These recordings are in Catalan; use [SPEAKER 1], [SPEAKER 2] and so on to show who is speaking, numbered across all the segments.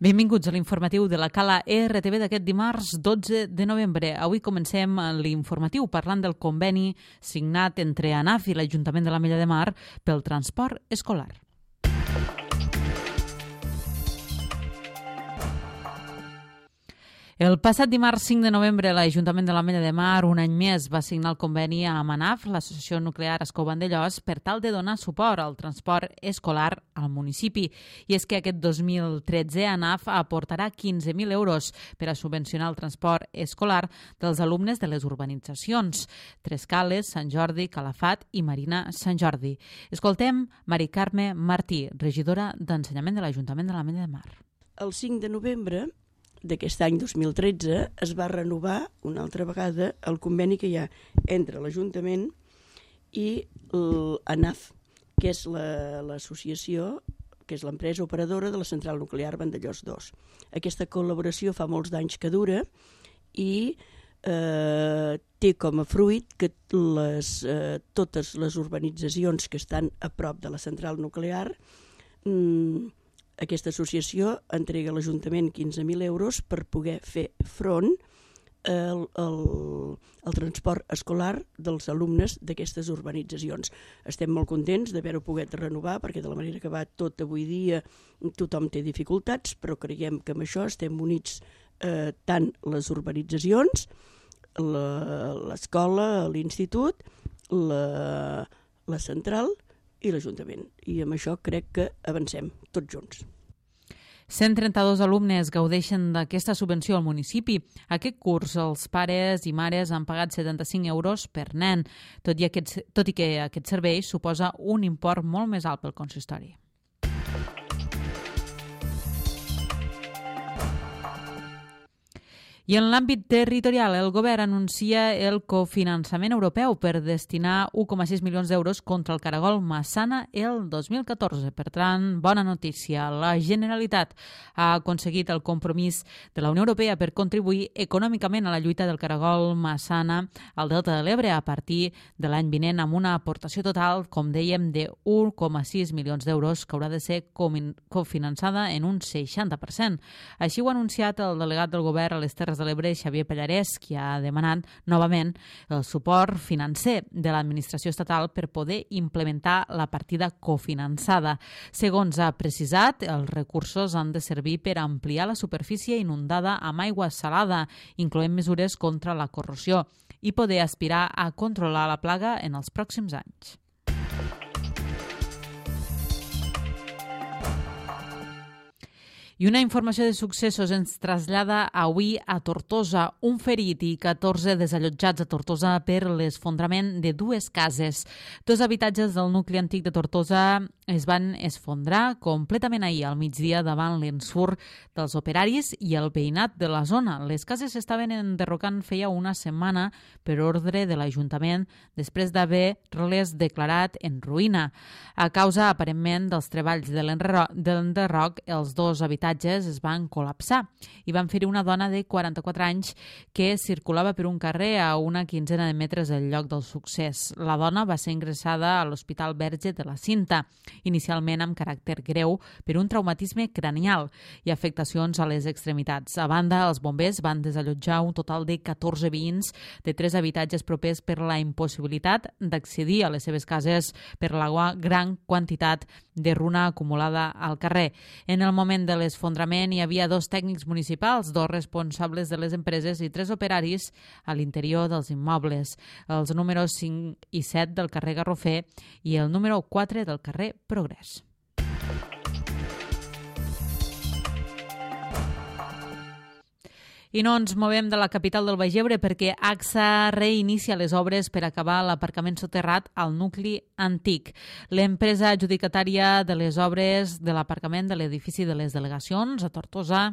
[SPEAKER 1] Benvinguts a l'informatiu de la Cala RTV d'aquest dimarts 12 de novembre. Avui comencem l'informatiu parlant del conveni signat entre ANAF i l'Ajuntament de l'Ametlla de Mar pel transport escolar. El passat dimarts 5 de novembre, l'Ajuntament de l'Ametlla de Mar, un any més, va signar el conveni amb ANAF, l'Associació Nuclear Ascó Vandellòs, per tal de donar suport al transport escolar al municipi. I és que aquest 2013 ANAF aportarà 15.000 euros per a subvencionar el transport escolar dels alumnes de les urbanitzacions Trescales, Sant Jordi, Calafat i Marina Sant Jordi. Escoltem Mari Carme Martí, regidora d'Ensenyament de l'Ajuntament de l'Ametlla de Mar.
[SPEAKER 2] El 5 de novembre d'aquest any 2013 es va renovar una altra vegada el conveni que hi ha entre l'Ajuntament i l'ANAF, que és l'associació, que és l'empresa operadora de la central nuclear Vandellòs 2. Aquesta col·laboració fa molts d'anys que dura i té com a fruit que totes les urbanitzacions que estan a prop de la central nuclear, aquesta associació entrega a l'Ajuntament 15.000 euros per poder fer front al transport escolar dels alumnes d'aquestes urbanitzacions. Estem molt contents d'haver-ho pogut renovar perquè de la manera que va tot avui dia tothom té dificultats, però creiem que amb això estem units tant les urbanitzacions, l'escola, l'institut, la central i l'Ajuntament. I amb això crec que avancem tots junts.
[SPEAKER 1] 132 alumnes gaudeixen d'aquesta subvenció al municipi. Aquest curs els pares i mares han pagat 75 euros per nen, tot i que aquest servei suposa un import molt més alt pel consistori. I en l'àmbit territorial, el govern anuncia el cofinançament europeu per destinar 1,6 milions d'euros contra el caragol Massana el 2014. Per tant, bona notícia. La Generalitat ha aconseguit el compromís de la Unió Europea per contribuir econòmicament a la lluita del caragol Massana al Delta de l'Ebre a partir de l'any vinent amb una aportació total, com dèiem, de 1,6 milions d'euros que haurà de ser cofinançada en un 60%. Així ho ha anunciat el delegat del govern a les Terres de l'Ebre, Xavier Pallarès, qui ha demanat novament el suport financer de l'administració estatal per poder implementar la partida cofinançada. Segons ha precisat, els recursos han de servir per ampliar la superfície inundada amb aigua salada, incloent mesures contra la corrosió, i poder aspirar a controlar la plaga en els pròxims anys. I una informació de successos ens trasllada avui a Tortosa. Un ferit i 14 desallotjats a Tortosa per l'esfondrament de dues cases. Dos habitatges del nucli antic de Tortosa es van esfondrar completament ahir al migdia davant l'ensurt dels operaris i el veïnat de la zona. Les cases s'estaven enderrocant feia una setmana per ordre de l'Ajuntament després d'haver-les declarat en ruïna. A causa, aparentment, dels treballs de l'enderroc, els dos habitatges es van col·lapsar i van ferir una dona de 44 anys que circulava per un carrer a una quinzena de metres del lloc del succés. La dona va ser ingressada a l'Hospital Verge de la Cinta, inicialment amb caràcter greu per un traumatisme cranial i afectacions a les extremitats. A banda, els bombers van desallotjar un total de 14 veïns de 3 habitatges propers per la impossibilitat d'accedir a les seves cases per la gran quantitat de runa acumulada al carrer. En el moment de l'esfondrament hi havia 2 tècnics municipals, 2 responsables de les empreses i 3 operaris a l'interior dels immobles. Els números 5 i 7 del carrer Garrofer i el número 4 del carrer Progrés. I no ens movem de la capital del Baix Ebre perquè AXA reinicia les obres per acabar l'aparcament soterrat al nucli antic. L'empresa adjudicatària de les obres de l'aparcament de l'edifici de les delegacions a Tortosa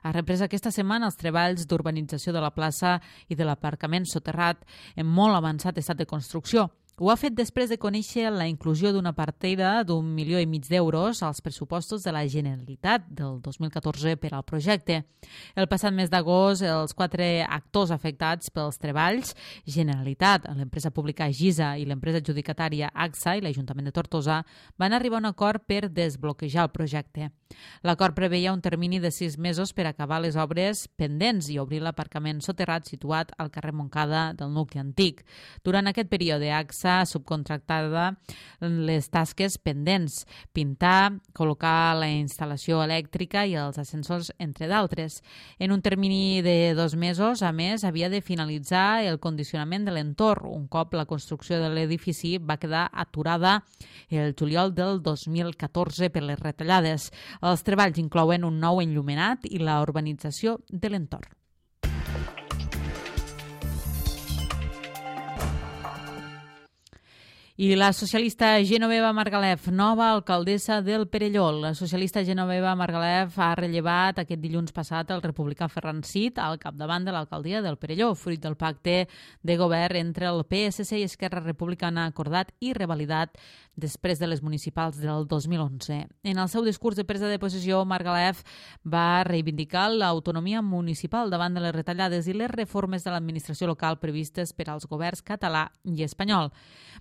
[SPEAKER 1] ha reprès aquesta setmana els treballs d'urbanització de la plaça i de l'aparcament soterrat en molt avançat estat de construcció. Ho ha fet després de conèixer la inclusió d'una partida d'1,5 milió d'euros als pressupostos de la Generalitat del 2014 per al projecte. El passat mes d'agost, els 4 actors afectats pels treballs, Generalitat, l'empresa pública GISA i l'empresa adjudicatària AXA i l'Ajuntament de Tortosa, van arribar a un acord per desbloquejar el projecte. L'acord preveia un termini de 6 mesos per acabar les obres pendents i obrir l'aparcament soterrat situat al carrer Montcada del nucli antic. Durant aquest període, AXA subcontractada les tasques pendents, pintar, col·locar la instal·lació elèctrica i els ascensors, entre d'altres. En un termini de 2 mesos, a més, havia de finalitzar el condicionament de l'entorn, un cop la construcció de l'edifici va quedar aturada el juliol del 2014 per les retallades. Els treballs inclouen un nou enllumenat i la urbanització de l'entorn. I la socialista Genoveva Margalef, nova alcaldessa del Perelló. La socialista Genoveva Margalef ha rellevat aquest dilluns passat el republicà Ferran Cid al capdavant de l'alcaldia del Perelló, fruit del pacte de govern entre el PSC i Esquerra Republicana acordat i revalidat després de les municipals del 2011. En el seu discurs de presa de possessió, Margalef va reivindicar l'autonomia municipal davant de les retallades i les reformes de l'administració local previstes per als governs català i espanyol.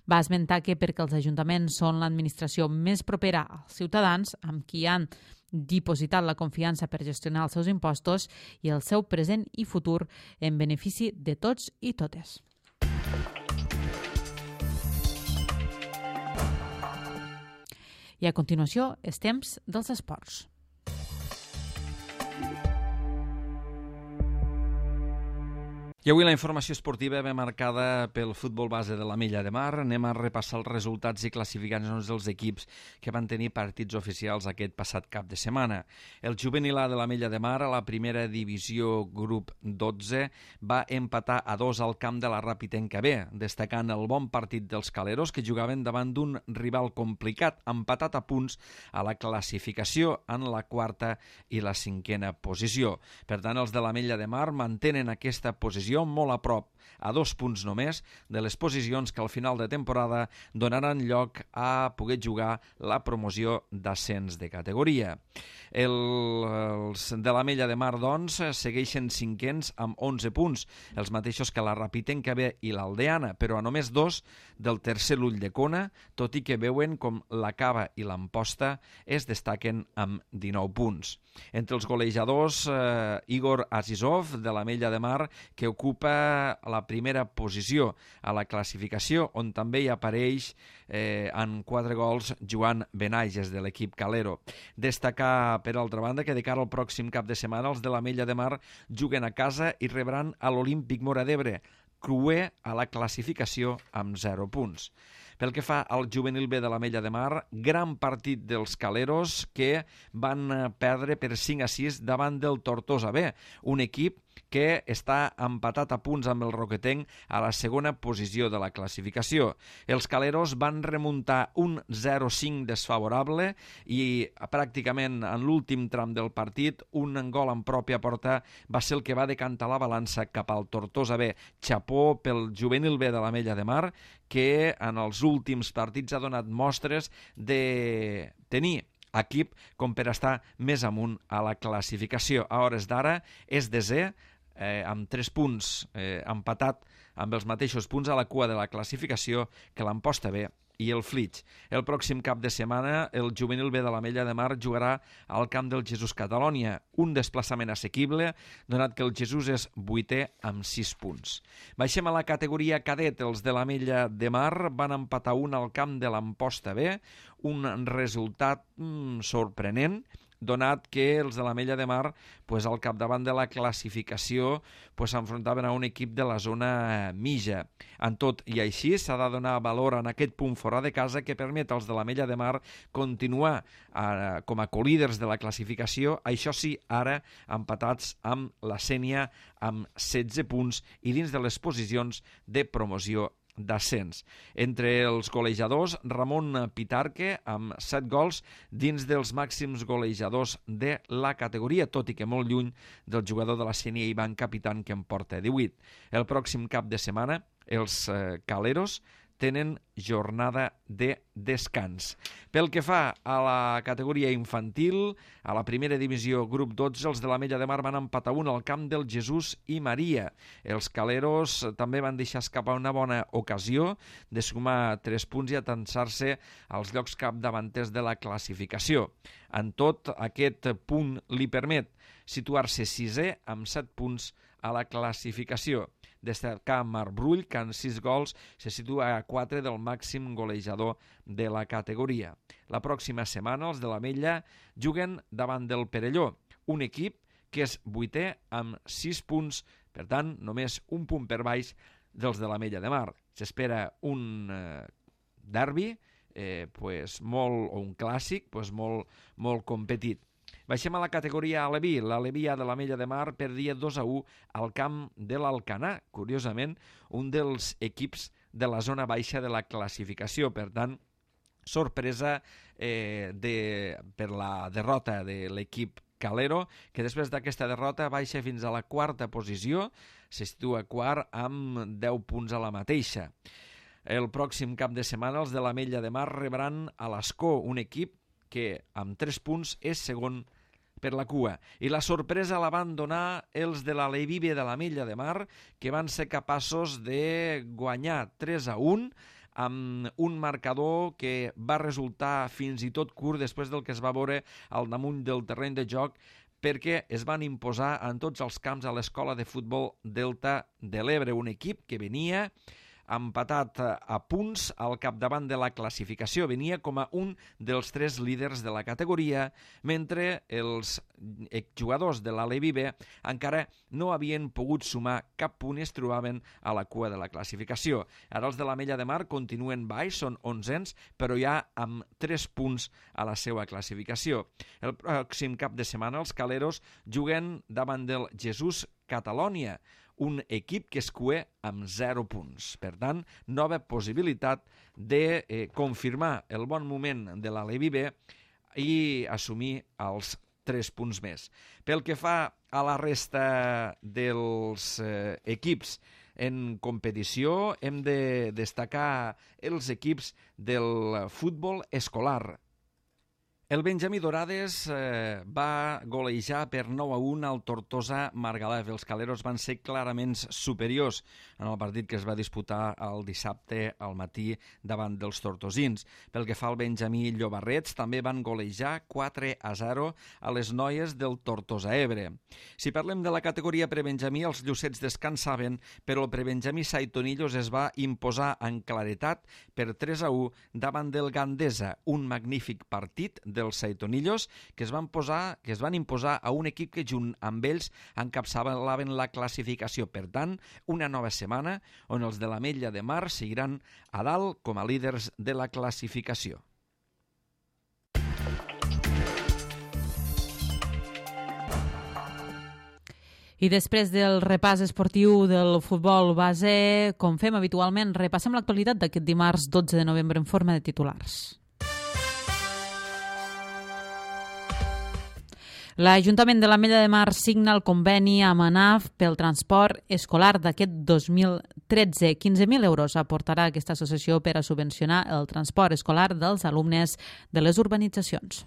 [SPEAKER 1] Va esmentar que perquè els ajuntaments són l'administració més propera als ciutadans, amb qui han dipositat la confiança per gestionar els seus impostos i el seu present i futur en benefici de tots i totes. I a continuació, els temps dels esports.
[SPEAKER 3] I avui la informació esportiva ve marcada pel futbol base de l'Ametlla de Mar. Anem a repassar els resultats i classificacions dels equips que van tenir partits oficials aquest passat cap de setmana. El juvenil A de l'Ametlla de Mar, a la primera divisió grup 12, va empatar a 2 al camp de la Ràpitenca B, destacant el bon partit dels caleros que jugaven davant d'un rival complicat, empatat a punts a la classificació en la 4a i la 5a posició. Per tant, els de l'Ametlla de Mar mantenen aquesta posició molt a prop, a 2 punts només, de les posicions que al final de temporada donaran lloc a poder jugar la promoció d'ascens de categoria. Els de l'Ametlla de Mar, doncs, segueixen 5ens amb 11 punts, els mateixos que la Ràpitenca B i l'Aldeana, però a només 2 del tercer l'Ulldecona, tot i que veuen com la Cava i l'Amposta es destaquen amb 19 punts. Entre els golejadors, Igor Azizov, de l'Ametlla de Mar, que ocupa la primera posició a la classificació, on també hi apareix en 4 gols Joan Benages, de l'equip Calero. Destacar, per altra banda, que de cara al pròxim cap de setmana els de l'Ametlla de Mar juguen a casa i rebran a l'Olímpic Móra d'Ebre, cruer a la classificació amb 0 punts. Pel que fa al juvenil B de l'Ametlla de Mar, gran partit dels caleros que van perdre per 5-6 davant del Tortosa B, un equip que està empatat a punts amb el Roquetenc a la segona posició de la classificació. Els caleros van remuntar un 0-5 desfavorable i pràcticament en l'últim tram del partit un gol en pròpia porta va ser el que va decantar la balança cap al Tortosa B. Chapó pel juvenil B de l'Ametlla de Mar, que en els últims partits ha donat mostres de tenir equip com per estar més amunt a la classificació. A hores d'ara és desè, amb 3 punts, empatat amb els mateixos punts a la cua de la classificació que l'Amposta B i el Flix. El pròxim cap de setmana el juvenil B de l'Ametlla de Mar jugarà al camp del Jesús Catalònia, un desplaçament assequible, donat que el Jesús és 8è amb 6 punts. Baixem a la categoria cadet. Els de l'Ametlla de Mar van empatar 1 al camp de l'Amposta B, un resultat sorprenent, donat que els de l'Ametlla de Mar al capdavant de la classificació s'enfrontaven a un equip de la zona mitja. En tot i així s'ha de donar valor en aquest punt fora de casa que permet als de l'Ametlla de Mar continuar com a colíders de la classificació, això sí, ara empatats amb la Sénia amb 16 punts i dins de les posicions de promoció d'ascens. Entre els golejadors, Ramon Pitarque amb 7 gols dins dels màxims golejadors de la categoria, tot i que molt lluny del jugador de la Sénia Ivan Capitán, que en porta 18. El pròxim cap de setmana els caleros tenen jornada de descans. Pel que fa a la categoria infantil, a la primera divisió grup 12, els de l'Ametlla de Mar van empatar 1 al camp del Jesús i Maria. Els caleros també van deixar escapar una bona ocasió de sumar 3 punts i atançar-se als llocs capdavanters de la classificació. En tot, aquest punt li permet situar-se 6è amb 7 punts a la classificació. Destacar Marc Brull, que amb 6 gols se situa a 4 del màxim golejador de la categoria. La pròxima setmana els de l'Ametlla juguen davant del Perelló, un equip que és 8è amb 6 punts, per tant, només un punt per baix dels de l'Ametlla de Mar. S'espera un derbi, o un clàssic molt competit. Baixem a la categoria Aleví. L'Aleví de l'Ametlla de Mar perdia 2-1 al camp de l'Alcanar. Curiosament, un dels equips de la zona baixa de la classificació. Per tant, sorpresa per la derrota de l'equip calero, que després d'aquesta derrota baixa fins a la 4a posició, se situa quart amb 10 punts a la mateixa. El pròxim cap de setmana els de l'Ametlla de Mar rebran a l'Escó, un equip que amb 3 punts és segon per la cua. I la sorpresa la van donar els de l'Aleví de l'Ametlla de Mar, que van ser capaços de guanyar 3-1 amb un marcador que va resultar fins i tot curt després del que es va veure al damunt del terreny de joc, perquè es van imposar en tots els camps a l'Escola de Futbol Delta de l'Ebre, un equip que venia empatat a punts al capdavant de la classificació. Venia com a un dels 3 líders de la categoria, mentre els jugadors de l'Aleví B encara no havien pogut sumar cap punt i es trobaven a la cua de la classificació. Ara els de l'Ametlla de Mar continuen baix, són 11ens, però ja amb 3 punts a la seva classificació. El pròxim cap de setmana els caleros juguen davant del Jesús Catalònia, un equip que es cué amb 0 punts. Per tant, nova possibilitat de confirmar el bon moment de l'Aleví B i assumir els 3 punts més. Pel que fa a la resta dels equips en competició, hem de destacar els equips del futbol escolar. El Benjamí Dorades va golejar per 9-1 al Tortosa Margalef. Els caleros van ser clarament superiors en el partit que es va disputar el dissabte al matí davant dels tortosins. Pel que fa al Benjamí Llobarrets, també van golejar 4-0 a les noies del Tortosa Ebre. Si parlem de la categoria prebenjamí, els llucets descansaven, però el prebenjamí Saitonillos es va imposar en claretat per 3-1 davant del Gandesa, un magnífic partit dels Saitonillos que es van imposar a un equip que junt amb ells encapçalaven la classificació. Per tant, una nova setmana on els de l'Ametlla de Mar seguiran a dalt com a líders de la classificació.
[SPEAKER 1] I després del repàs esportiu del futbol base, com fem habitualment, repassem l'actualitat d'aquest dimarts 12 de novembre en forma de titulars. L'Ajuntament de l'Ametlla de Mar signa el conveni amb ANAF pel transport escolar d'aquest 2013. 15.000 euros aportarà aquesta associació per a subvencionar el transport escolar dels alumnes de les urbanitzacions.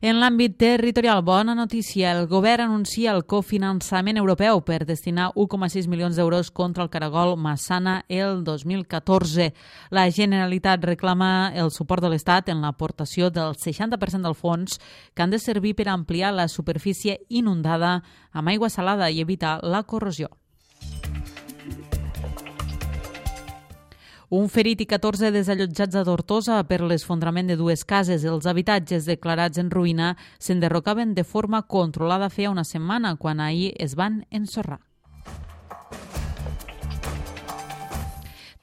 [SPEAKER 1] En l'àmbit territorial, bona notícia, el govern anuncia el cofinançament europeu per destinar 1,6 milions d'euros contra el caragol Massana el 2014. La Generalitat reclama el suport de l'Estat en l'aportació del 60% del fons que han de servir per ampliar la superfície inundada amb aigua salada i evitar la corrosió. Un ferit i 14 desallotjats a Tortosa per l'esfondrament de 2 cases. Els habitatges declarats en ruïna s'enderrocaven de forma controlada feia una setmana, quan ahir es van ensorrar.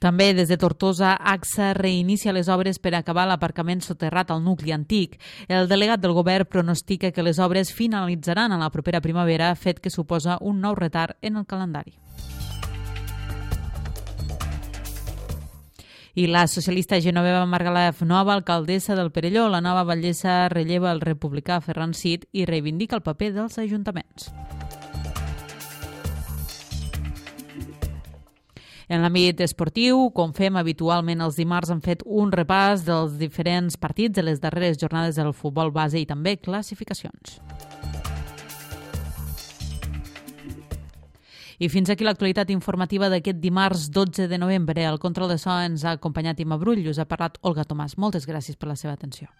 [SPEAKER 1] També des de Tortosa, AXA reinicia les obres per acabar l'aparcament soterrat al nucli antic. El delegat del govern pronostica que les obres finalitzaran a la propera primavera, fet que suposa un nou retard en el calendari. I la socialista Genoveva Margalef, nova alcaldessa del Perelló, la nova batllessa relleva el republicà Ferran Cid i reivindica el paper dels ajuntaments. En l'àmbit esportiu, com fem habitualment els dimarts, hem fet un repàs dels diferents partits de les darreres jornades del futbol base i també classificacions. I fins aquí l'actualitat informativa d'aquest dimarts 12 de novembre. El control de so ens ha acompanyat Imma Brull, us ha parlat Olga Tomàs. Moltes gràcies per la seva atenció.